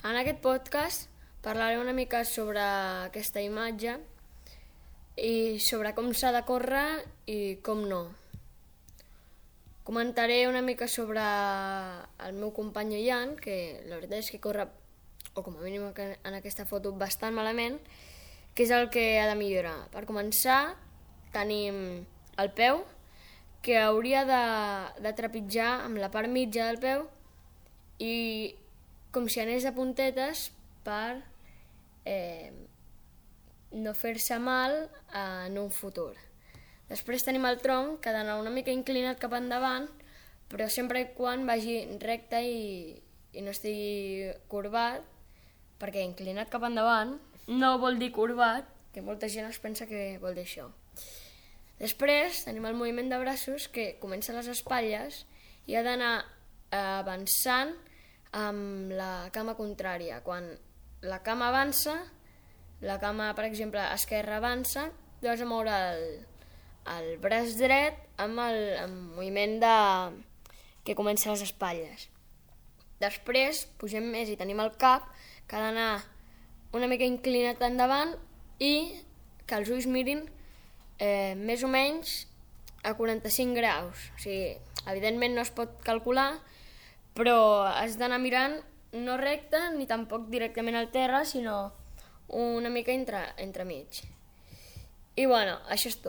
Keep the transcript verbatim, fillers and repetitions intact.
En aquest podcast parlaré una mica sobre aquesta imatge i sobre com s'ha de córrer i com no. Comentaré una mica sobre el meu company Ian, que la veritat és que corre, o com a mínim en aquesta foto, bastant malament, que és el que ha de millorar. Per començar, tenim el peu, que hauria de, de trepitjar amb la part mitja del peu i com si anés a puntetes per eh, no fer-se mal en un futur. Després tenim el tronc, que ha d'anar una mica inclinat cap endavant, però sempre i quan vagi recte i, i no estigui corbat, perquè inclinat cap endavant no vol dir corbat, que molta gent es pensa que vol dir això. Després tenim el moviment de braços, que comença a les espatlles i ha d'anar avançant amb la cama contrària. Quan la cama avança, la cama, per exemple, esquerra avança, tu has de moure el, el braç dret amb el amb moviment de, que comença a les espatlles. Després pugem més i tenim el cap, que ha d'anar una mica inclinat endavant i que els ulls mirin eh, més o menys a quaranta-cinc graus. O sigui, evidentment no es pot calcular, però has d'anar mirant no recte ni tampoc directament al terra, sinó una mica entre, entremig. I bueno, això és tot.